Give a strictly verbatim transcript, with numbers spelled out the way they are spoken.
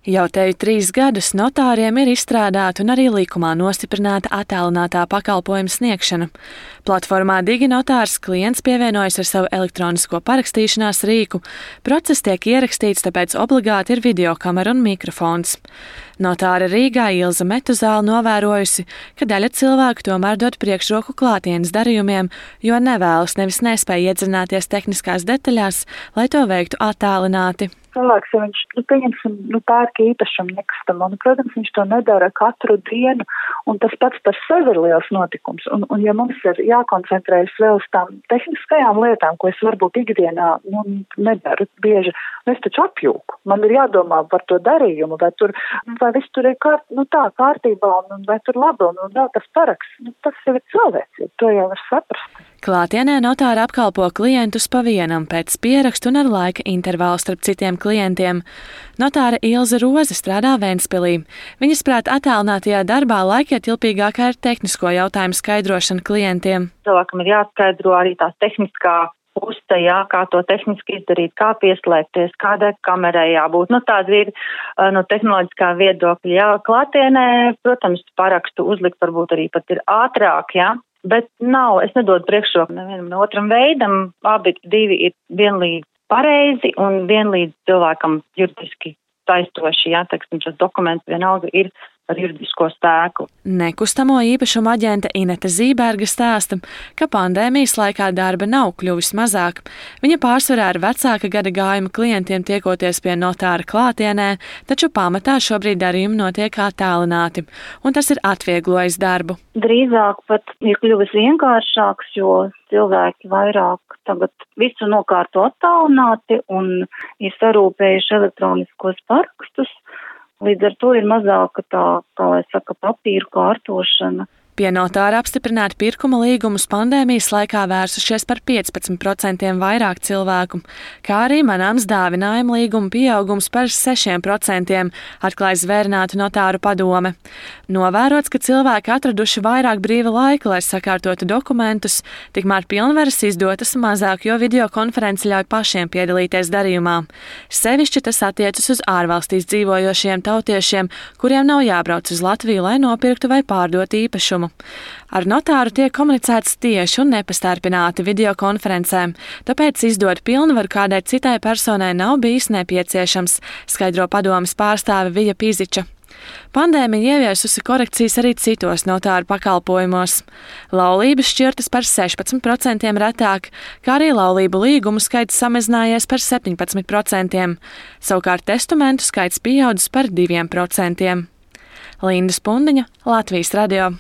Jau teju trīs gadus notāriem ir izstrādāta un arī likumā nostiprināta attālinātā pakalpojuma sniegšana. Platformā DigiNotārs klients pievienojas ar savu elektronisko parakstīšanās rīku. Process tiek ierakstīts, tāpēc obligāti ir videokamera un mikrofons. Notāre Rīgā Ilze Metuzāle novērojusi, ka daļa cilvēku tomēr dod priekšroku klātienes darījumiem, jo nevēlas nevis nespēja iedzināties tehniskās detaļās, lai to veiktu attālināti. Cilvēks, ja viņš, nu, pieņemsim, nu, pērk īpašumu nekustamo, nu, protams, viņš to nedara katru dienu, un tas pats par sevi ir liels notikums. Un, un ja mums ir jākoncentrējas vēl uz tām tehniskajām lietām, ko es varbūt ikdienā, nu, nedaru bieži, es taču apjūku. Man ir jādomā par to darījumu, vai tur, vai viss tur ir kārt, nu, tā kārtībā, un vai tur labi, un, un vēl tas paraksts. Nu, tas jau ir cilvēcīgi, to jau var saprast. Klātienē notāri apkalpo klientus pa vienam pēc pierakstu un ar laika intervālu starp citiem klientiem. Notāre Ilze Roze strādā Ventspilī. Viņas prāt attālinātajā darbā laikietilpīgākā ir tehnisko jautājumu skaidrošana klientiem. Cilvēkam ir jāskaidro arī tās tehniskā puse, jā, kā to tehniski izdarīt, kā pieslēgties, kādai kamerai jābūt. Nu, tāda ir no tehnoloģiskā viedokļa. Jā, klātienē, protams, parakstu uzlikt varbūt arī pat ir ātrāk, jā. Bet nav, es nedodu priekšroku nevienam no otram veidam, abi divi ir vienlīdz pareizi un vienlīdz cilvēkam juridiski saistoši, jā, teiksim, šis dokuments vienalga ir ar juridisko spēku. Nekustamo īpašumu aģente Inete Zīberga stāsta, ka pandēmijas laikā darba nav kļuvis mazāk. Viņa pārsvarā ar vecāka gada gājuma klientiem tiekoties pie notāra klātienē, taču pamatā šobrīd darījumi notiek attālināti, un tas ir atvieglojis darbu. Drīzāk pat ir kļuvis vienkāršāks, jo cilvēki vairāk tagad visu nokārto attālināti un ir sarūpējuši elektroniskos parakstus. Līdz ar to ir mazāka tā, kā lai saka, papīru kārtošana. Pie notāra apstiprināti pirkuma līgumus pandēmijas laikā vērsušies par piecpadsmit procentiem vairāk cilvēku, kā arī manāms dāvinājuma līguma pieaugums par sešiem procentiem, atklāja Zvērinātu notāru padome. Novērots, ka cilvēki atraduši vairāk brīva laika, lai sakārtotu dokumentus, tikmēr pilnvaras izdotas mazāk, jo videokonferenci ļauj pašiem piedalīties darījumā. Sevišķi tas attiecas uz ārvalstīs dzīvojošiem tautiešiem, kuriem nav jābrauc uz Latviju, lai nopirktu vai pārdotu īpašumu. Ar notāru tiek komunicēts tieši un nepastarpināti videokonferencēm, tāpēc izdot pilnvaru kādai citai personai nav bijis nepieciešams, skaidro padomes pārstāve Vija Piziča. Pandēmija ieviesusi korekcijas arī citos notāru pakalpojumos. Laulības šķirtas par sešpadsmit procentiem retāk, kā arī laulību līgumu skaits samazinājies par septiņpadsmit procentiem. Savukārt testamentu skaits pieaudzis par diviem procentiem. Linda Spundiņa, Latvijas radio.